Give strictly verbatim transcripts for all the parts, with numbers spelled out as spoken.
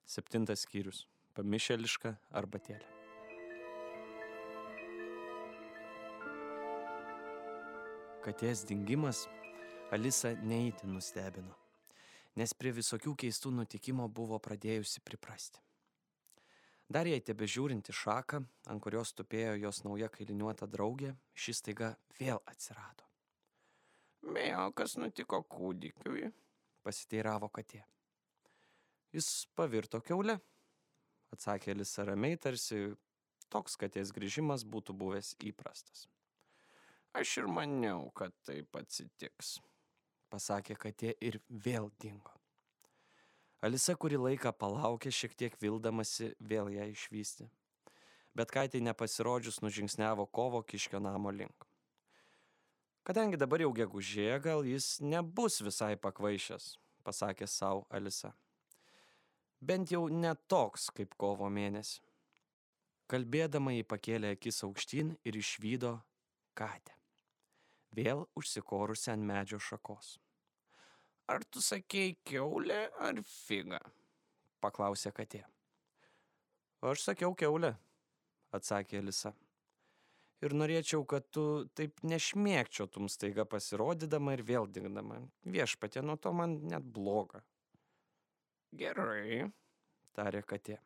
Septintas skyrius. Pamišėliška arbatėlė. Katės dingimas Alisą neįtin nustebino, nes prie visokių keistų nutikimo buvo pradėjusi priprasti. Dar jai tebežiūrinti šaką, ant kurios tupėjo jos nauja kailiniuota draugė, šis staiga vėl atsirado. Mėjo, kas nutiko kūdikiui? Pasiteiravo katė. Jis pavirto kiaule, atsakė Alisa ramiai, tarsi toks katės grįžimas būtų buvęs įprastas. Aš ir maniau, kad taip atsitiks, pasakė katė ir vėl dingo. Alisa kurį laiką palaukė, šiek tiek vildamasi vėl ją išvysti. Bet katei nepasirodžius nužingsniavo Kovo Kiškio namo link. Kadangi dabar jau gegužė, gal jis nebus visai pakvaišęs, pasakė sau Alisa. Bent jau ne toks kaip kovo mėnesį. Kalbėdama jį pakėlė akis aukštyn ir išvydo katę, vėl užsikorusi ant medžio šakos. Ar tu sakei kiaulė ar figa? Paklausė katė. Aš sakiau kiaulė, atsakė Alisa. Ir norėčiau, kad tu taip nešmėkčiotum staiga pasirodydama ir vėl dingdama. Viešpatie, nuo to man net bloga. Gerai, tarė katė.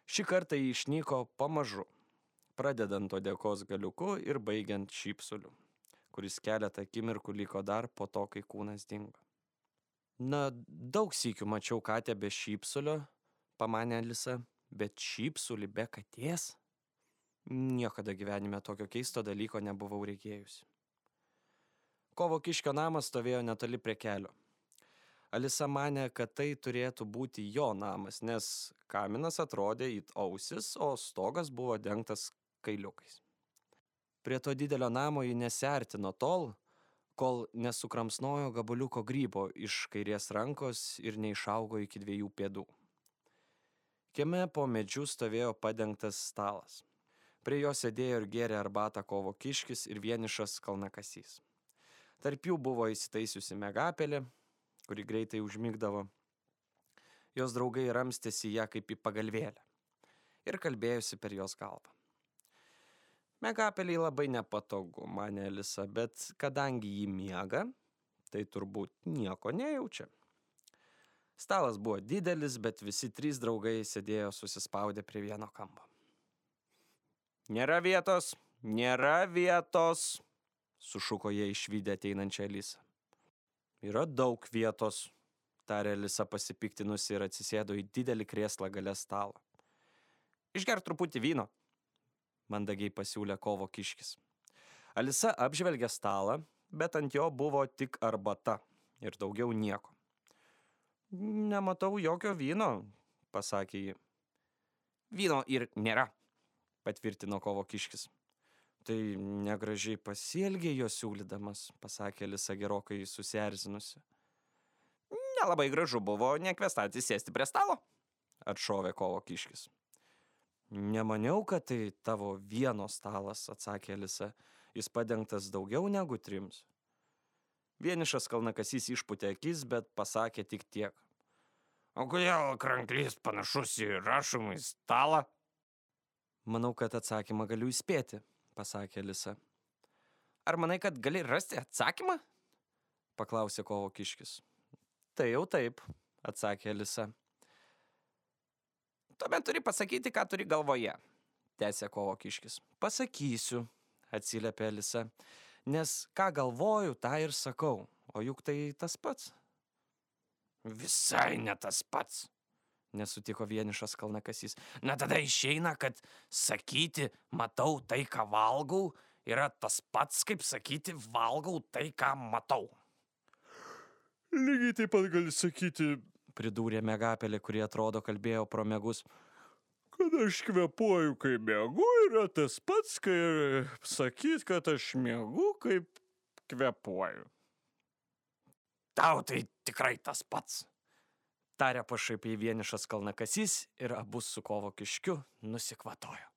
Šį kartą jį išnyko pamažu, pradedant odekos galiuku ir baigiant šypsuliu, kuris keletą akimirkų liko dar po to, kai kūnas dingo. Na, daug sykių mačiau katę be šypsulio, pamanė Alisa, bet šypsulį be katės? Niekada gyvenime tokio keisto dalyko nebuvau reikėjusi. Kovo Kiškio namas stovėjo netoli prie kelio. Alisa manė, kad tai turėtų būti jo namas, nes kaminas atrodė it ausis, o stogas buvo dengtas kailiukais. Prie to didelio namo ji nesiartino tol, kol nesukramsnojo gabaliuko grybo iš kairės rankos ir neišaugo iki dviejų pėdų. Kieme po medžiu stovėjo padengtas stalas. Prie jo sėdėjo ir gėrė arbatą Kovo Kiškis ir vienišas kalnakasys. Tarp jų buvo įsitaisiusi Megapelė, kuri greitai užmigdavo. Jos draugai ramstėsi ją kaip į pagalvėlę ir kalbėjusi per jos galvą. Megapeliai labai nepatogu, manė Alisa, bet kadangi jį miega, tai turbūt nieko nejaučia. Stalas buvo didelis, bet visi trys draugai sėdėjo susispaudę prie vieno kampo. Nėra vietos, nėra vietos, sušuko jie išvydę ateinančią Alisą. Yra daug vietos, tarė Alisa pasipiktinusi ir atsisėdo į didelį krėslą gale stalo. Išgerk truputį vyno, mandagiai pasiūlė Kovo Kiškis. Alisa apžvelgė stalą, bet ant jo buvo tik arbata ir daugiau nieko. Nematau jokio vyno, pasakė ji. Vyno ir nėra, patvirtino Kovo Kiškis. Tai negražiai pasielgė jo siūlydamas, pasakė Alisa gerokai susierzinusi. Nelabai gražu buvo nekvestati sėsti prie stalo, atšovė Kovo Kiškis. Nemaniau, kad tai tavo vieno stalas, atsakė Alisa. Jis padengtas daugiau negu trims. Vienišas kalnakasys išpūtė akis, bet pasakė tik tiek. O kodėl kranklys panašus į rašomąjį stalą? Manau, kad atsakymą galiu įspėti, pasakė Alisa. Ar manai, kad gali rasti atsakymą? Paklausė Kovo Kiškis. Tai jau taip, atsakė Alisa. Tuomet turi pasakyti, ką turi galvoje, tęsė Kovo Kiškis. Pasakysiu, atsiliepė Alisa, nes ką galvoju, tą ir sakau, o juk tai tas pats. Visai ne tas pats, nesutiko vienišas kalnakasys. Na tada išeina, kad sakyti, matau tai, ką valgau, yra tas pats, kaip sakyti, valgau tai, ką matau. Lygiai taip pat gali sakyti, pridūrė Megapelė, kuri atrodo kalbėjo pro miegus, kad aš kvepuoju, kai miegu, yra tas pats, kai sakyt, kad aš miegu, kaip kvepuoju. Tau tai tikrai tas pats, tarė pašaipiai vienišas kalnakasys ir abu su Kovo Kiškiu nusikvatojo.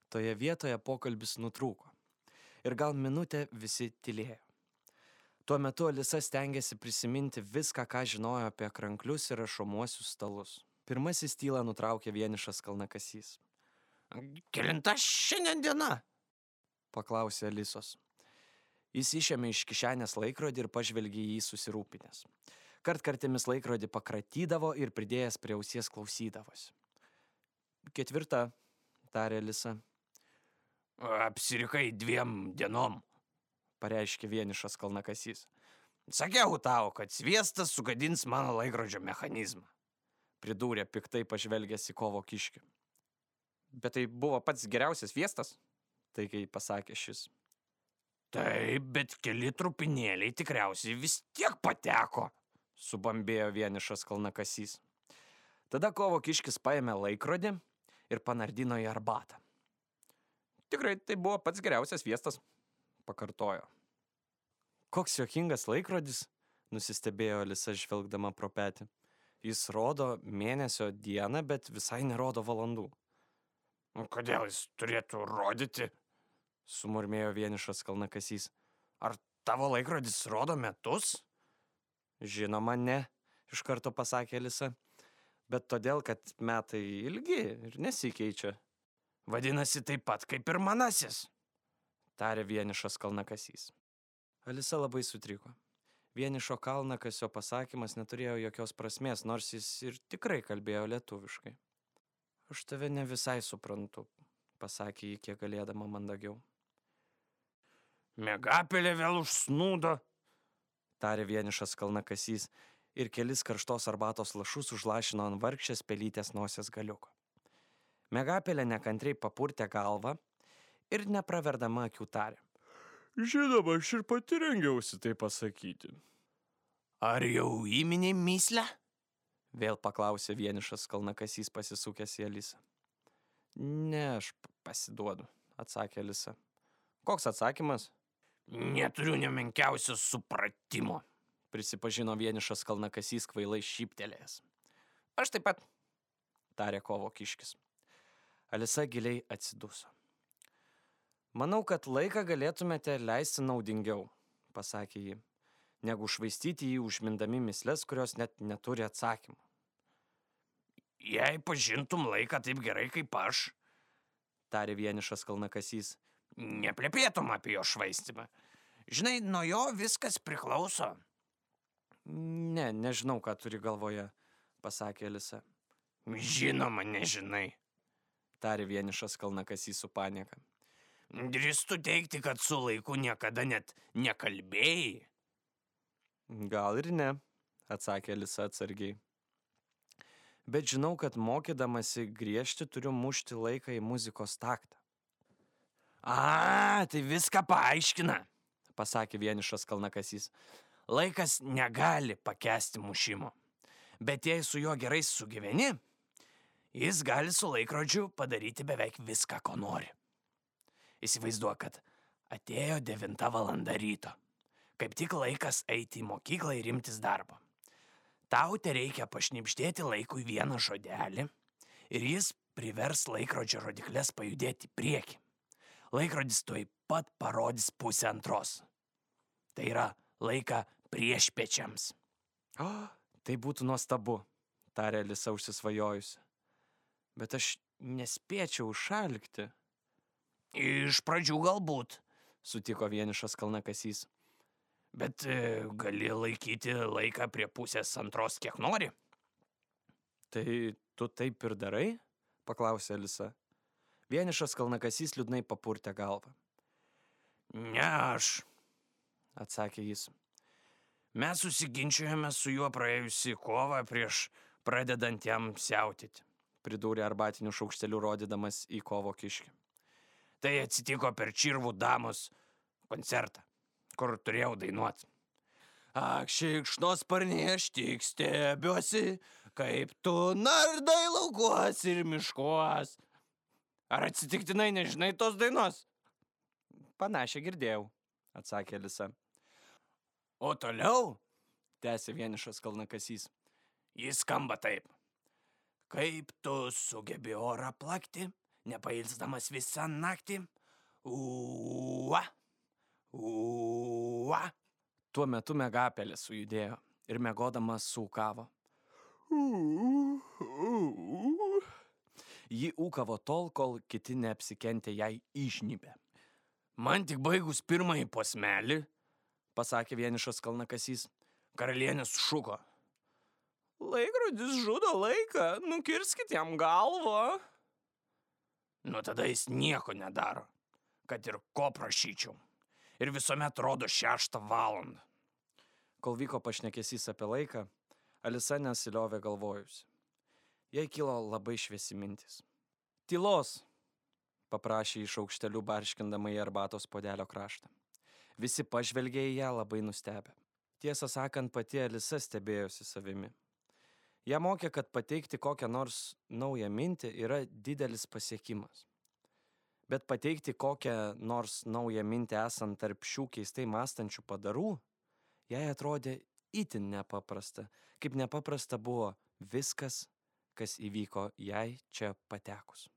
Toje vietoje pokalbis nutrūko ir gal minutę visi tylėjo. Tuo metu Alisa stengiasi prisiminti viską, ką žinojo apie kranklius ir rašomuosius stalus. Pirmasis tylą nutraukė vienišas kalnakasys. Kelinta šiandien diena? Paklausė Alisos. Jis išėmė iš kišenės laikrodį ir pažvelgė į jį susirūpinęs. Kartkartėmis laikrodį pakratydavo ir pridėjęs prie ausies klausydavosi. Ketvirta, tarė Alisa. Apsirikai dviem dienom, pareiškė vienišas kalnakasys. Sakiau tau, kad sviestas sugadins mano laikrodžio mechanizmą, pridūrė piktai pažvelgęs į kovo kiškį. Bet tai buvo pats geriausias sviestas, taikiai pasakė šis. Taip, bet keli trupinėliai tikriausiai vis tiek pateko, subambėjo vienišas kalnakasys. Tada kovo kiškis paėmė laikrodį ir panardino į arbatą. Tikrai tai buvo pats geriausias sviestas, pakartojo. Koks juokingas laikrodis, nusistebėjo Alisa žvelgdama pro petį. Jis rodo mėnesio dieną, bet visai nerodo valandų. Kodėl jis turėtų rodyti? Sumurmėjo vienišas kalnakasys. Ar tavo laikrodis rodo metus? Žinoma, ne, iš karto pasakė Alisa. Bet todėl, kad metai ilgi ir nesikeičia. Vadinasi taip pat kaip ir manasis, tarė vienišas kalnakasys. Alisa labai sutriko. Vienišo kalnakasio pasakymas neturėjo jokios prasmės, nors jis ir tikrai kalbėjo lietuviškai. Aš tave ne visai suprantu, pasakė jį kiek galėdama mandagiau. Miegapelė vėl užsnūdo, tarė vienišas kalnakasys ir kelis karštos arbatos lašus užlašino ant vargšės pelytės nosies galiuko. Miegapelė nekantriai papurtė galvą ir nepraverdama akių tarė. Žinoma, aš ir pati rengiausi tai pasakyti. Ar jau įminei myslę? Vėl paklausė vienišas kalnakasys pasisukęs į Alisą. Ne, aš pasiduodu, atsakė Alisa. Koks atsakymas? Neturiu nemenkiausio supratimo, prisipažino vienišas kalnakasys kvailai šyptelėjęs. Aš taip pat, tarė kovo kiškis. Alisa giliai atsiduso. Manau, kad laiką galėtumėte leisti naudingiau, pasakė ji, negu švaistyti jį užmindami mysles, kurios net neturi atsakymų. Jei pažintum laiką taip gerai kaip aš, tarė vienišas kalnakasys, neplepėtum apie jo švaistimą. Žinai, nuo jo viskas priklauso. Ne, nežinau, ką turi galvoje, pasakė Alisa. Žinoma, nežinai, tarė vienišas kalnakasys su panieka. Drįstu teigti, kad su laiku niekada net nekalbėjai. Gal ir ne, atsakė Alisa atsargiai. Bet žinau, kad mokydamasi griežti turiu mušti laiką į muzikos taktą. A, tai viską paaiškina, pasakė vienišas kalnakasys. Laikas negali pakęsti mušimo, bet jei su juo gerai sugyveni, jis gali su laikrodžiu padaryti beveik viską, ko nori. Įsivaizduok, kad atėjo devinta valanda ryto. Kaip tik laikas eiti į mokyklą ir imtis darbo. Tau tereikia pašnibždėti laikui vieną žodelį ir jis privers laikrodžio rodiklės pajudėti į priekį. Laikrodis tuoj pat parodys pusę antros. Tai yra laiką priešpiečiams. O, tai būtų nuostabu, tarė Alisa užsisvajojusi. Bet aš nespėčiau šalkti. Iš pradžių galbūt, sutiko vienišas kalnakasys. Bet e, gali laikyti laiką prie pusės antros kiek nori. Tai tu taip ir darai? Paklausė Alisa. Vienišas kalnakasys liūdnai papurtė galvą. Ne aš, atsakė jis. Mes susiginčiojame su juo praėjusį kovą prieš pradedant jam siautyti, pridūrė arbatiniu šaukšteliu rodydamas į kovo kiškį. Tai atsitiko per Čirvų damos koncertą, kur turėjau dainuoti. Ak, šikšnosparnie, aš tik stebiuosi, kaip tu nardai laukuos ir miškuos. Ar atsitiktinai nežinai tos dainos? Panašiai girdėjau, atsakė Alisa. O toliau, tęsė vienišas kalnakasys, jis skamba taip. Kaip tu sugebi orą plakti, nepailsdamas visą naktį? Ua, ua. Tuo metu Megapelė sujudėjo ir miegodama sūkavo. Ji ūkavo tol, kol kiti neapsikentė jai išnypė. Man tik baigus pirmąjį posmelį, pasakė vienišas kalnakasys. Karalienė sušuko. Laikrodis žudo laiką, nukirskit jam galvą. Nu tada jis nieko nedaro, kad ir ko prašyčiau. Ir visuomet rodo šeštą valandą. Kol vyko pašnekesys apie laiką, Alisa nesiliovė galvojusi. Jai kilo labai šviesi mintis. Tylos, paprašė iš aukštelių barškindama į arbatos puodelio kraštą. Visi pažvelgė į ją labai nustebę. Tiesą sakant, pati Alisa stebėjosi savimi. Ją mokė, kad pateikti kokią nors naują mintį yra didelis pasiekimas. Bet pateikti kokią nors naują mintį esant tarp šių keistai mąstančių padarų, jai atrodė itin nepaprasta, kaip nepaprasta buvo viskas, kas įvyko jai čia patekus.